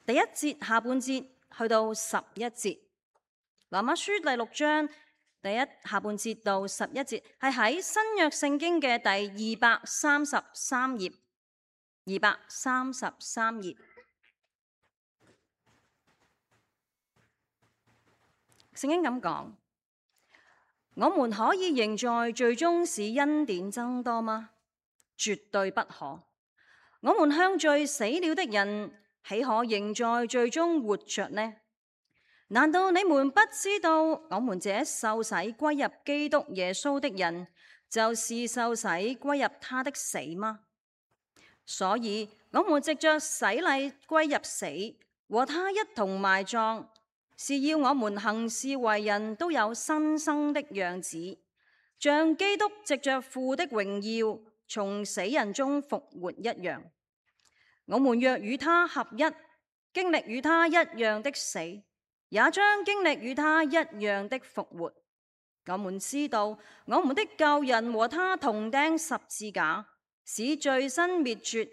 第1節下半節去到11節。羅馬書第6章第1下半節到11節係喺新約聖經嘅第233頁，233頁。聖經咁講：我們可以仍在罪中使恩典增多嗎？絕對不可。我們向罪死了的人，豈可仍在罪中活着呢？難道你們不知道，我們這受洗歸入基督耶穌的人，就是受洗歸入他的死嗎？所以，我們藉着洗禮歸入死，和他一同埋葬，是要我們行事為人都有新生的樣子，像基督藉着父的榮耀從死人中復活一樣。我們若與他合一，經歷與他一樣的死，也將經歷與他一樣的復活。我們知道，我們的舊人和他同釘十字架，使罪身滅絕，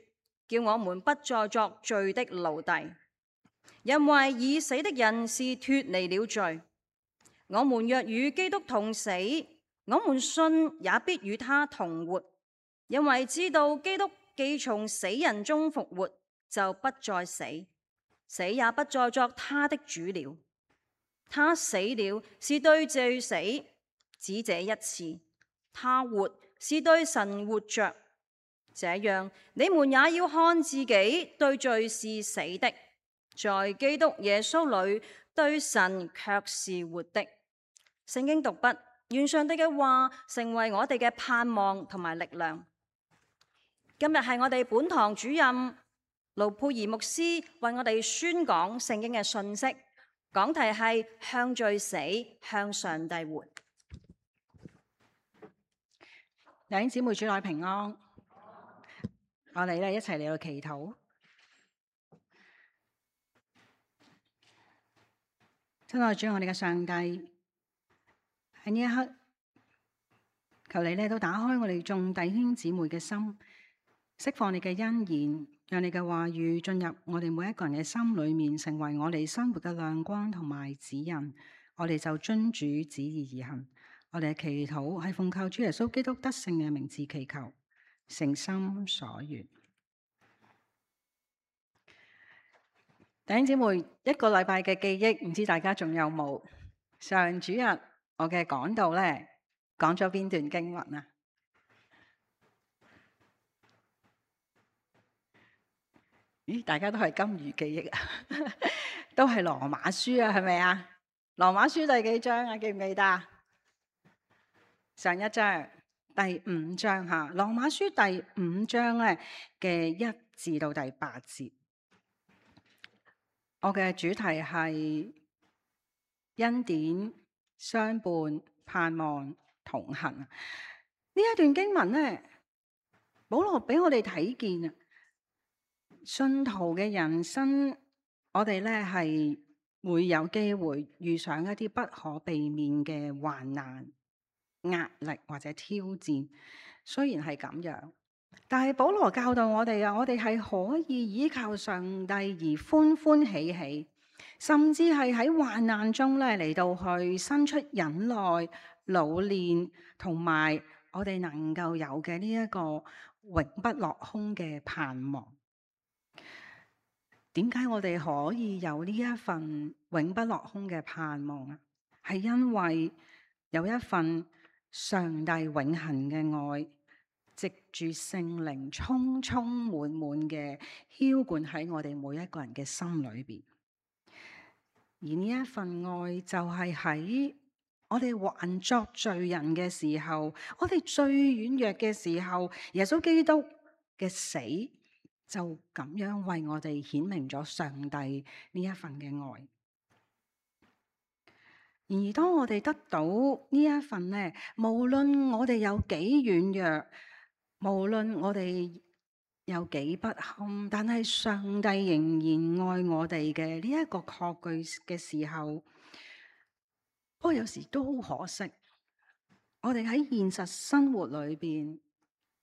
叫我們不再作罪的奴隸。因為已死的人是脫離了罪。我們若與基督同死，我們信也必與他同活，因為知道基督既從死人中復活，就不再死，死也不再作他的主了。他死了是對罪死，只這一次；他活是對神活着。這樣，你們也要看自己對罪是死的，在基督耶穌裏對神卻是活的。聖經讀畢，願上帝嘅話成為我哋嘅盼望同埋力量。今日係我哋本堂主任盧佩儀牧師為我哋宣講聖經嘅信息，講題係向罪死，向上帝活。弟兄姊妹，主內平安。我哋一齊嚟到祈禱。親愛主，我哋嘅上帝，喺呢一刻，求你都打開我哋眾弟兄姊妹嘅心，釋放你嘅恩言，讓你嘅話語進入我哋每一個人嘅心裏面，成為我哋生活嘅亮光同埋指引。我哋就遵主旨意而行。我哋嘅祈禱係奉靠主耶穌基督得勝嘅名字祈求，誠心所願。弟兄姊妹，一個禮拜嘅記憶，唔知大家仲有冇？上主日我嘅講道咧，講咗邊段經文啊？咦，大家都係金魚記憶啊，都係羅馬書啊，係咪啊？羅馬書第幾章啊？記唔記得？上一章第5章吓，羅馬書第5章咧嘅1至到第8節。我嘅主題係恩典相伴，盼望同行。呢一段經文咧，保羅俾我哋睇見啊，信徒嘅人生，我哋咧係會有機會遇上一啲不可避免嘅患難、壓力或者挑戰。雖然係咁樣，但係保羅教導我哋啊，我哋係可以依靠上帝而歡歡喜喜，甚至係喺患難中咧嚟到去生出忍耐、老練，同埋我哋能夠有嘅呢一個永不落空嘅盼望。點解我哋可以有呢一份永不落空嘅盼望啊？係因為有一份上帝永恆嘅愛，藉住聖靈充充滿滿嘅澆灌喺我哋每一個人嘅心裏邊。而呢一份愛就係喺我哋還作罪人嘅時候，我哋最軟弱嘅時候，耶穌基督嘅死就咁樣為我哋顯明咗上帝呢一份嘅愛。然而當我哋得到呢一份呢，無論我哋有幾軟弱，無論我哋有幾不堪，但係上帝仍然愛我哋嘅呢一個確據嘅時候，不過有時都好可惜，我哋喺現實生活裏邊，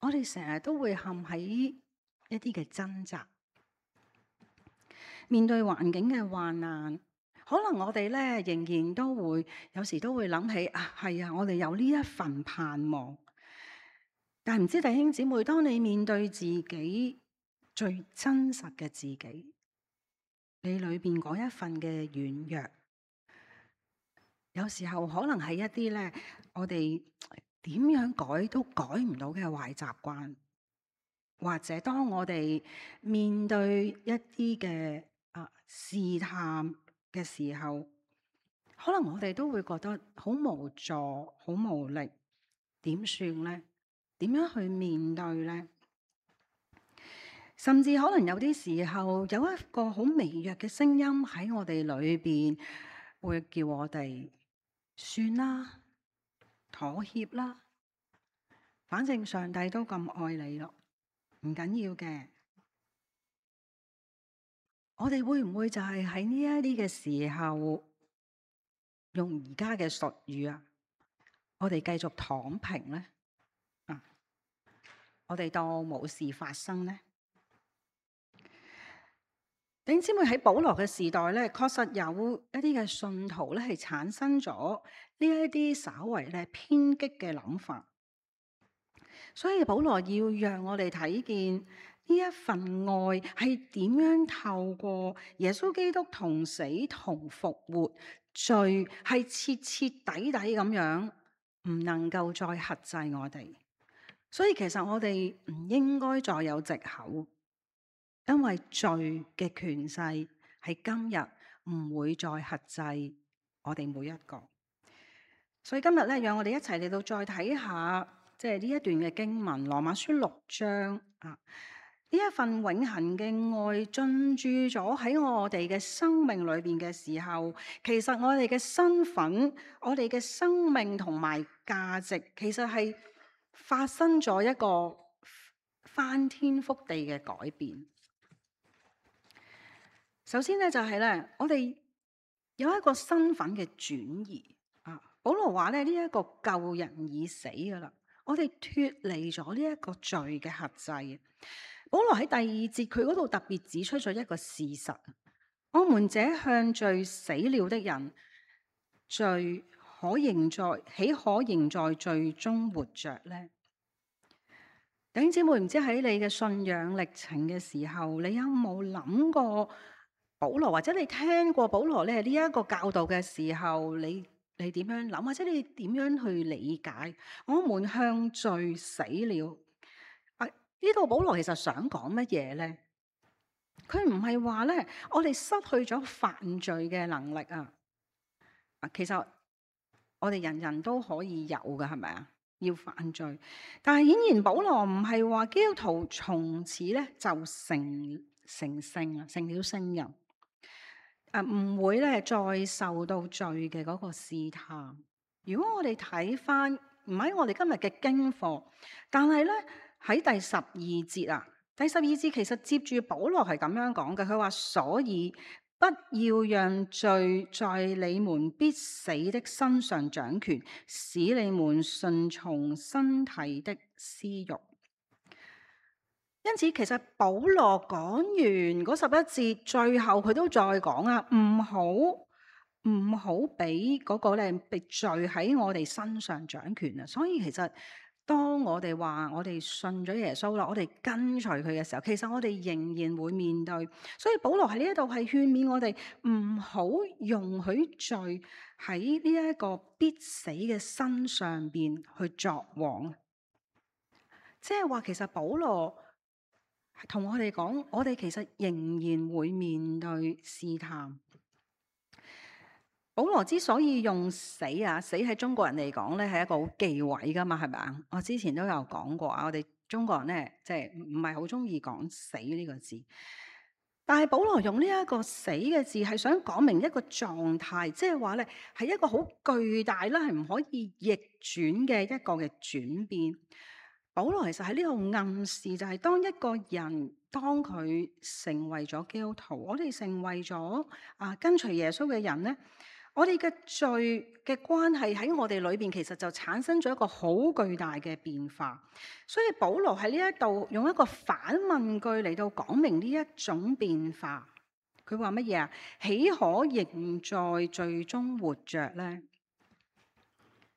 我哋成日都會陷喺一啲嘅掙扎。面對環境嘅患難，可能我哋咧仍然都會有時都會諗起啊，係啊，我哋有呢一份盼望。但係唔知弟兄姊妹，當你面對自己最真實嘅自己，你裏邊嗰一份嘅軟弱，有時候可能係一啲咧，我哋點樣改都改唔到嘅壞習慣，或者當我哋面對一啲嘅試探嘅時候，可能我哋都會覺得好無助、好無力，點算呢？點樣去面對呢？甚至可能有啲時候有一個好微弱嘅聲音喺我哋裏邊，會叫我哋算啦，妥協啦，反正上帝都咁愛你咯，唔緊要嘅。我哋會唔會就係喺呢一啲嘅時候，用而家嘅術語啊，我哋繼續躺平呢？我哋當冇事發生呢？弟兄姊妹，喺保羅嘅時代咧，確實有一啲嘅信徒咧係產生咗呢一啲稍為咧偏激嘅諗法，所以保羅要讓我哋睇見呢一份愛係點樣透過耶穌基督同死同復活，罪係徹徹底底咁樣唔能夠再轄制我哋，所以其實我哋唔應該再有藉口。因為罪嘅權勢係今日唔會再轄制我哋每一個，所以今日咧，讓我哋一齊嚟到再睇下，即係呢一段嘅經文《羅馬書》6章啊，呢一份永恆嘅愛進駐咗喺我哋嘅生命裏邊嘅時候，其實我哋嘅身份、我哋嘅生命同埋價值，其實係發生咗一個翻天覆地嘅改變。首先咧就係咧，我哋有一個身份嘅轉移啊。保羅話咧，呢一個舊人已死噶啦，我哋脫離咗呢一個罪嘅轄制。保羅喺第2節佢嗰度特別指出咗一個事實：我們這向罪死了的人，罪豈可仍在罪中活着呢？弟兄姊妹，唔知喺你嘅信仰歷程嘅時候，你有冇諗過保羅，或者你聽過保羅咧呢一個教導嘅時候，你點樣諗，或者你點樣去理解？我們向罪死了。呢度保羅其實想講乜嘢咧？佢唔係話咧，我哋失去咗犯罪嘅能力啊。其實我哋人人都可以有噶，係咪啊？要犯罪，但係顯然保羅唔係話基督徒從此咧就成聖啊，成了聖人。唔會咧再受到罪嘅嗰個試探。如果我哋睇翻，唔喺我哋今日嘅經課，但係咧喺第12節啊，第12節其實接住保羅係咁樣講嘅，佢話：所以不要讓罪在你們必死的身上掌權，使你們順從身體的私慾。因此，其實保羅講完嗰11節，最後佢都再講啊，唔好俾嗰個咧被罪喺我哋身上掌權啊！所以其實當我哋話我哋信咗耶穌啦，我哋跟隨佢嘅時候，其實我哋仍然會面對。所以保羅喺呢一度係勸勉我哋唔好容許罪喺呢一個必死嘅身上邊去作王。即係話，其實保羅同我哋講，我哋其實仍然會面對試探。保羅之所以用死啊，死喺中國人嚟講咧係一個好忌諱噶嘛，係咪啊？我之前都有講過啊，我哋中國人咧即係唔係好中意講死呢個字。但係保羅用呢一個死嘅字係想講明一個狀態，即係話咧係一個好巨大啦，係唔可以逆轉嘅一個嘅轉變。保羅其實喺呢度暗示就係當一個人當佢成為咗基督徒，我哋成為咗跟隨耶穌嘅人咧，我哋嘅罪嘅關係喺我哋裏邊其實就產生咗一個好巨大嘅變化。所以保羅喺呢一度用一個反問句嚟到講明呢一種變化。佢話乜嘢啊？豈可仍在罪中活着呢？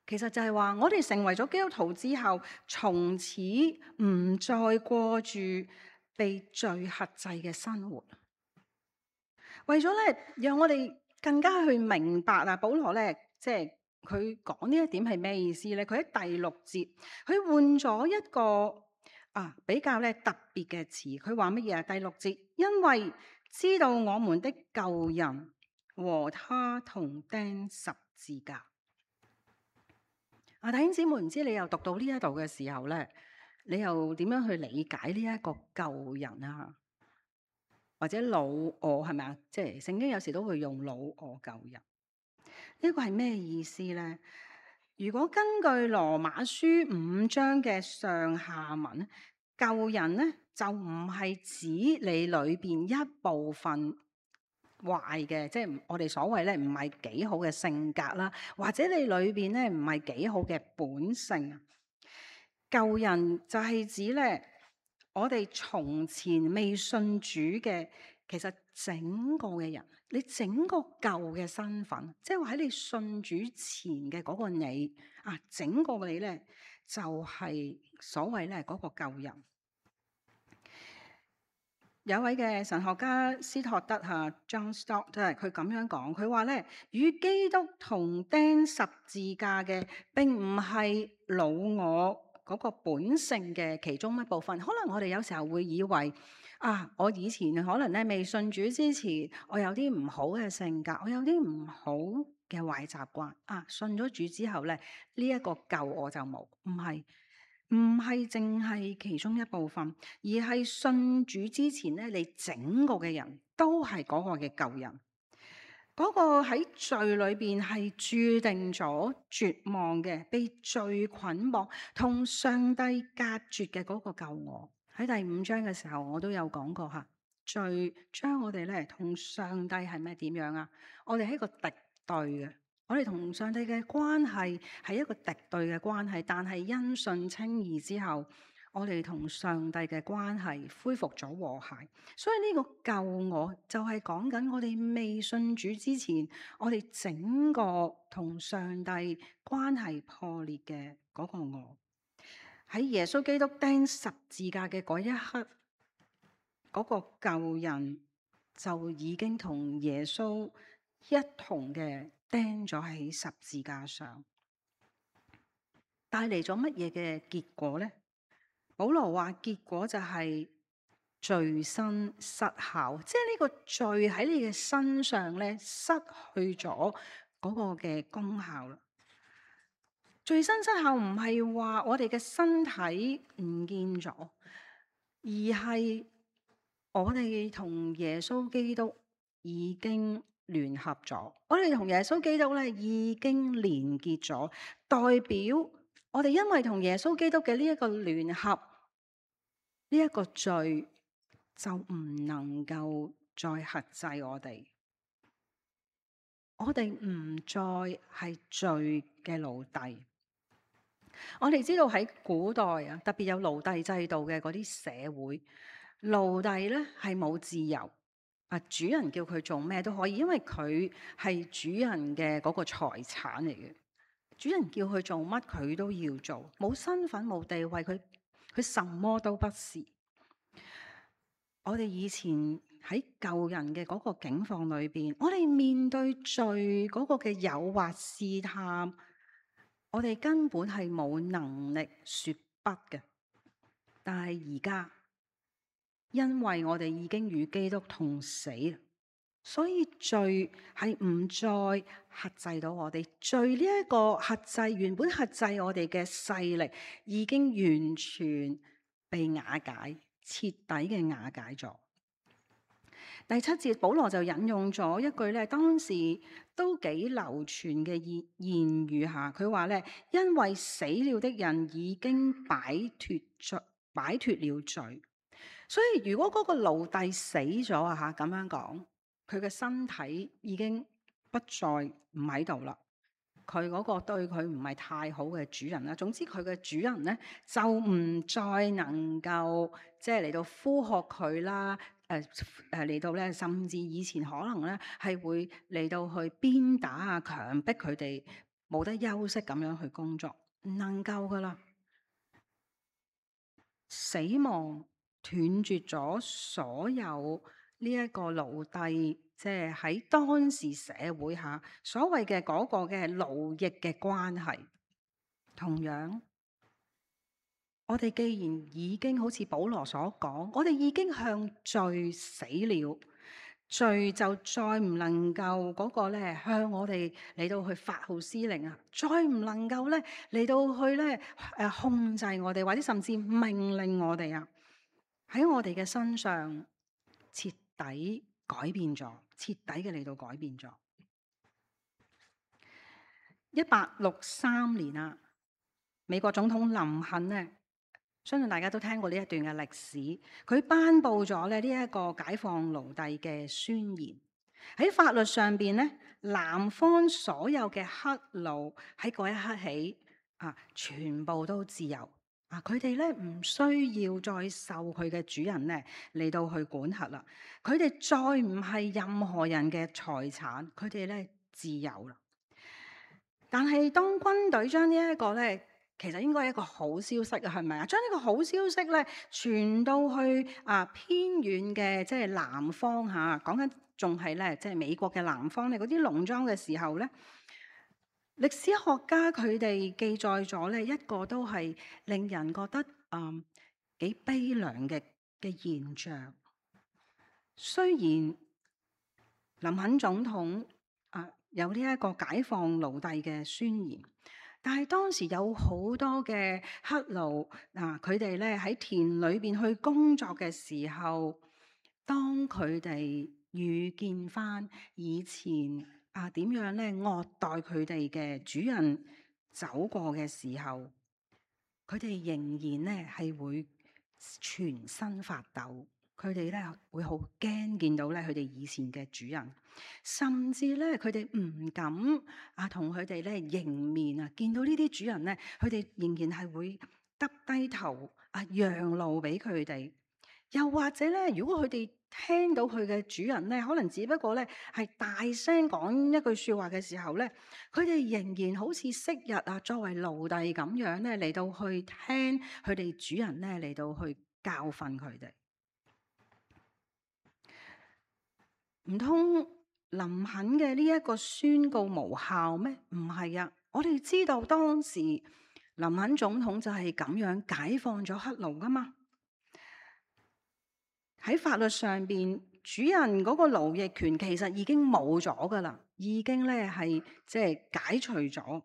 其實就係話，我哋成為咗基督徒之後，從此唔再過住被罪轄制嘅生活。為咗咧，讓我哋更加去明白啊，保羅咧，即係佢講呢一點係咩意思咧？佢喺第6節，佢換咗一個比較咧特別嘅詞。佢話乜嘢啊？第6節，因為知道我們的舊人和他同釘十字架。弟兄姊妹，唔知你又讀到呢一度嘅時候咧，你又點樣去理解呢一個舊人啊？或者老我係咪啊？即係聖經有時都會用老我舊人。呢個係咩意思咧？如果根據羅馬書5章嘅上下文，舊人咧就唔係指你裏邊一部分壞嘅，即係我哋所謂咧唔係幾好嘅性格啦，或者你裏邊咧唔係幾好嘅本性。舊人就係指咧我哋從前未信主嘅，其實整個嘅人，你整個舊嘅身份，即係話喺你信主前嘅嗰個你整個你咧就係所謂咧嗰個舊人。有位嘅神學家斯托德John Stott 佢咁樣講，佢話咧，與基督同釘十字架嘅並唔係老我嗰個本性嘅其中一部分。可能我哋有時候會以為我以前可能咧未信主之前，我有啲唔好嘅性格，我有啲唔好嘅壞習慣。信咗主之後咧，呢一個舊我就冇。唔係淨係其中一部分，而係信主之前咧，你整個嘅人都係嗰個嘅舊人，嗰個喺罪裏邊係注定咗絕望嘅，被罪捆綁，同上帝隔絕嘅嗰個舊我。喺第5章嘅時候，我都有講過罪將我哋咧同上帝係咩點樣啊？我哋係一個敵對嘅。我哋同上帝嘅關係係一個敵對嘅關係，但係因信稱義之後，我哋同上帝嘅關係恢復咗和諧。所以呢個舊我就係講緊我哋未信主之前，我哋整個同上帝關係破裂嘅嗰個我。喺耶穌基督釘十字架嘅嗰一刻，嗰個舊人就已經同耶穌一同嘅釘咗喺十字架上，帶嚟咗乜嘢嘅結果呢？保羅話結果就係罪身失效，即係呢個罪喺你嘅身上咧失去咗嗰個嘅功效啦。罪身失效唔係話我哋嘅身體唔見咗，而係我哋同耶穌基督已經聯合咗，我哋同耶穌基督咧已經連結咗，代表我哋因為同耶穌基督嘅呢一個聯合，呢一個罪就唔能夠再轄制我哋，我哋唔再係罪嘅奴隸。我哋知道喺古代特別有奴隸制度嘅嗰啲社會，奴隸咧係冇自由。主人叫佢做咩都可以，因為佢係主人嘅嗰個財產嚟嘅。主人叫佢做乜，佢都要做，冇身份冇地位，佢什麼都不是。我哋以前喺舊人嘅嗰個境況裏邊，我哋面對罪嗰個嘅誘惑試探，我哋根本係冇能力說不嘅。但係而家，因為我哋已經與基督同死，所以罪係唔再轄制到我哋。罪呢一個轄制，原本轄制我哋嘅勢力，已經完全被瓦解，徹底嘅瓦解咗。第7節，保羅就引用咗一句咧，當時都幾流傳嘅諺語下，佢話咧，因為死了的人已經擺脫了罪。所以如果嗰個奴隸死咗咁樣講，佢嘅身體已經不再唔喺度啦。佢嗰個對佢唔係太好嘅主人啦，總之佢嘅主人咧就唔再能夠即係嚟到呼喝佢啦，嚟到咧，甚至以前可能咧係會嚟到去鞭打啊、強迫佢哋冇得休息咁樣去工作，唔能夠噶啦。死亡斷絕咗所有呢一個奴隸，即係喺當時社會下所謂嘅嗰個嘅奴役嘅關係。同樣，我哋既然已經好似保羅所講，我哋已經向罪死了，罪就再唔能夠嗰個咧向我哋嚟到去發號施令啊，再唔能夠咧嚟到去咧控制我哋，或者甚至命令我哋啊，喺我哋嘅身上徹底改變咗，徹底嘅嚟到改變咗。1863年啊，美國總統林肯呢，相信大家都聽過呢一段嘅歷史。佢頒布咗呢一個解放奴隸嘅宣言。喺法律上邊呢，南方所有嘅黑奴喺嗰一刻起啊，全部都自由啊！佢哋咧唔需要再受佢嘅主人咧嚟到去管轄啦。佢哋再唔係任何人嘅財產，佢哋咧自由啦。但係當軍隊將呢一個咧，其實應該係一個好消息啊，係咪啊？將呢個好消息咧傳到去偏遠嘅即係南方嚇，講緊仲係咧即係美國嘅南方咧嗰啲農莊嘅時候咧，歷史學家佢哋記載咗咧一個都係令人覺得幾悲涼嘅現象。雖然林肯總統有呢一個解放奴隸嘅宣言，但係當時有好多嘅黑奴佢哋咧喺田裏邊去工作嘅時候，當佢哋遇見翻以前點樣咧惡待佢哋嘅主人走過嘅時候，佢哋仍然咧係會全身發抖。佢哋咧會好驚見到咧佢哋以前嘅主人，甚至咧佢哋唔敢同佢哋咧迎面啊！見到呢啲主人咧，佢哋仍然係會耷低頭讓路俾佢哋。又或者咧，如果佢哋聽到佢嘅主人咧，可能只不過咧係大聲講一句説話嘅時候咧，佢哋仍然好似昔日作為奴隸咁樣咧嚟到去聽佢哋主人咧嚟到去教訓佢哋。唔通林肯嘅呢一個宣告無效咩？唔係啊！我哋知道當時林肯總統就係咁樣解放咗黑奴噶嘛。喺法律上邊，主人嗰個奴役權其實已經冇咗噶啦，已經咧係即係解除咗。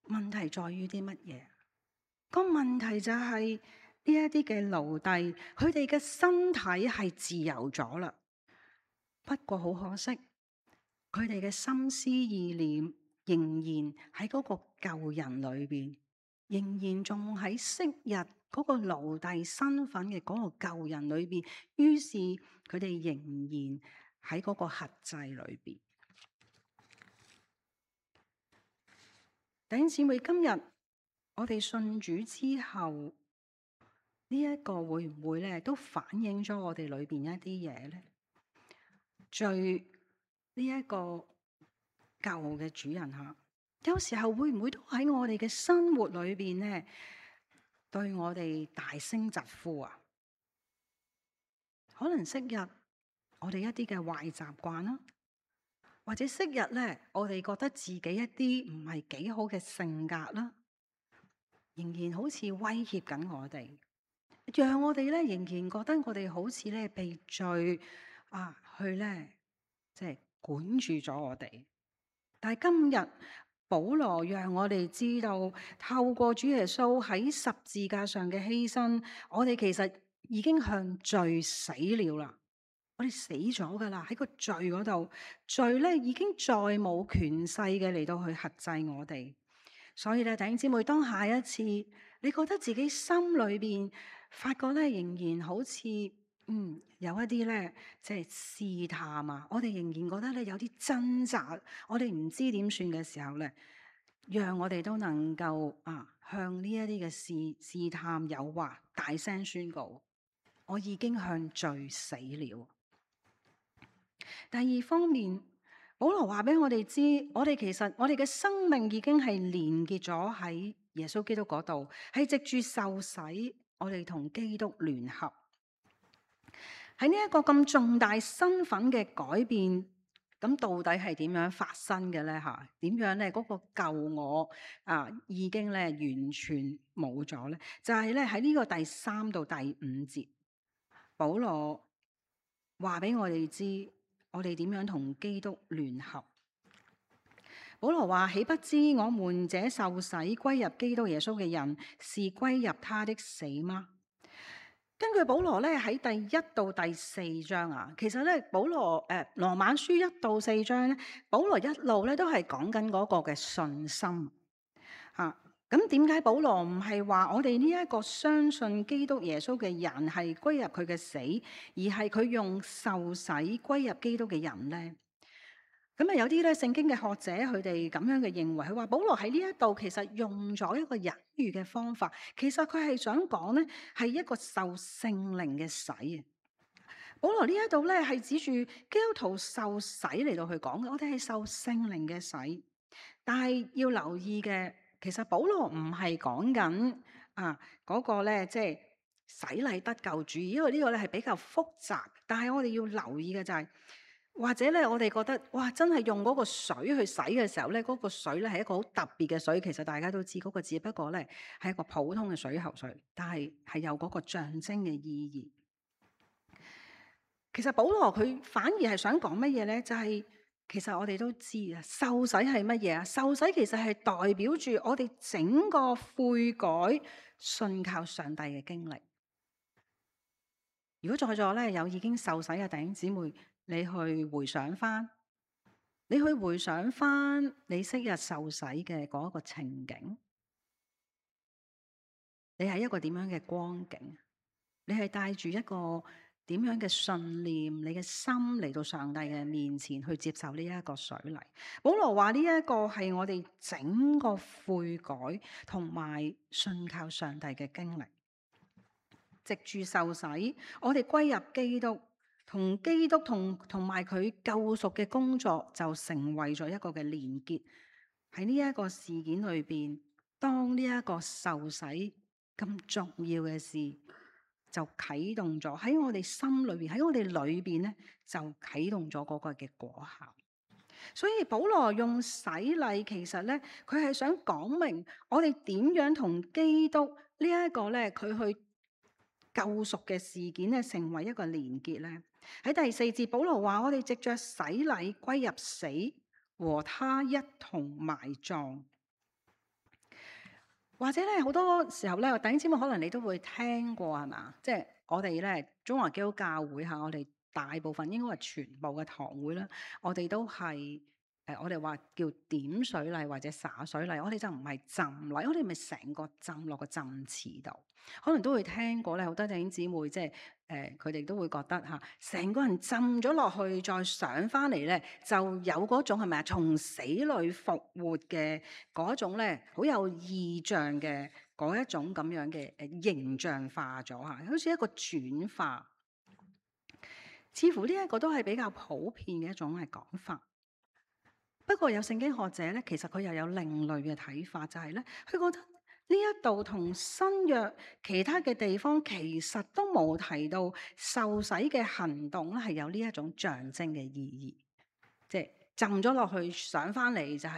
問題在於啲乜嘢？個問題就係呢一啲嘅奴隸，佢哋嘅身體係自由咗啦。不過好可惜，佢哋嘅心思意念仍然喺嗰個舊人裏邊，仍然仲喺昔日嗰個奴隸身份嘅嗰個舊人裏邊。於是佢哋仍然喺嗰個轄制裏邊。弟兄姊妹，今日我哋信主之後，呢一個會唔會咧都反映咗我哋裏邊一啲嘢咧？罪呢一個舊嘅主人吓，有時候會唔會都喺我哋嘅生活裏邊咧，對我哋大聲疾呼啊？可能昔日我哋一啲嘅壞習慣啦，或者昔日咧我哋覺得自己一啲唔係幾好嘅性格啦，仍然好似威脅緊我哋，讓我哋咧仍然覺得我哋好似咧被罪去咧即係管住咗我哋。但係今日保羅讓我哋知道，透過主耶穌喺十字架上嘅犧牲，我哋其實已經向罪死了啦。我哋死咗噶啦，喺個罪嗰度，罪咧已經再冇權勢嘅嚟到去轄制我哋。所以咧，弟兄姊妹，當下一次你覺得自己心裏邊發覺咧，仍然好似有一啲咧，即係試探啊，我哋仍然覺得咧有啲掙扎，我哋唔知點算嘅時候咧，讓我哋都能夠向呢一啲嘅試探誘惑大聲宣告：我已經向罪死了。第二方面，保羅話俾我哋知，我哋嘅生命已經係連結咗喺耶穌基督嗰度，係藉住受洗，我哋同基督聯合。喺呢一個咁重大身份嘅改變，咁到底係點樣發生嘅咧？吓，點樣咧？嗰個舊我已經咧完全冇咗咧？就係咧喺呢個第3到第5節，保羅話俾我哋知，我哋點樣同基督聯合。保羅話：豈不知我們這受洗歸入基督耶穌嘅人，是歸入他的死嗎？根據保羅咧喺第1到第4章其實咧保羅羅馬書1到4章咧，保羅一路咧都係講緊嗰個嘅信心咁點解保羅唔係話我哋呢一個相信基督耶穌嘅人係歸入佢嘅死，而係佢用受洗歸入基督嘅人咧？咁有啲咧聖經嘅學者佢哋咁樣嘅認為，佢話保羅喺呢一度其實用咗一個隱喻嘅方法，其實佢係想講咧係一個受聖靈嘅洗。保羅呢一度咧係指住基督徒受洗嚟到去講嘅，我哋係受聖靈嘅洗。但係要留意嘅，其實保羅唔係講緊嗰個咧即係洗禮得救主義，因為呢個咧係比較複雜。但係我哋要留意嘅就係，或者咧，我哋覺得哇，真係用嗰個水去洗嘅時候咧，嗰個水咧係一個好特別嘅水。其實大家都知嗰個只不過咧係一個普通嘅水喉水，但係係有嗰個象徵嘅意義。其實保羅佢反而係想講乜嘢咧？就係其實我哋都知受洗係乜嘢啊？受洗其實係代表住我哋整個悔改、信靠上帝嘅經歷。如果在座咧有已經受洗嘅弟兄姊妹，你去回想翻你昔日受洗嘅嗰一個情景，你係一個點樣嘅光景？你係帶住一個點樣嘅信念？你嘅心嚟到上帝嘅面前去接受呢一個水禮。保羅話呢一個係我哋整個悔改同埋信靠上帝嘅經歷，藉住受洗，我哋歸入基督。同基督同埋佢救贖嘅工作就成為咗一個嘅連結。喺呢一個事件裏邊，當呢一個受洗咁重要嘅事就啟動咗喺我哋心裏邊，喺我哋裏邊咧就啟動咗嗰個嘅果效。所以保羅用洗禮，其實咧佢係想講明我哋點樣同基督呢一個咧佢去救贖嘅事件咧成為一個連結咧。喺第4節，保羅話我哋藉着洗禮歸入死，和他一同埋葬。或者咧好多時候咧，弟兄姊妹可能你都會聽過係嘛？即係我哋咧中華基督教會我哋大部分應該係全部嘅堂會啦，我哋都係我哋話叫點水禮或者灑水禮，我哋就唔係浸禮，我哋咪成個浸落個浸池度。可能都會聽過咧，好多弟兄姊妹即係佢哋都會覺得成個人浸咗落去，再上翻嚟咧，就有嗰種係咪啊？從死裏復活嘅嗰種咧，好有異象嘅嗰一種咁樣嘅形象化咗好似一個轉化。似乎呢一個都係比較普遍嘅一種嘅講法。不過有聖經學者咧，其實佢又有另類嘅睇法，就係咧，佢覺得呢一度同新約其他嘅地方其實都冇提到受洗嘅行動咧，係有呢一種象徵嘅意義，即係浸咗落去上翻嚟就係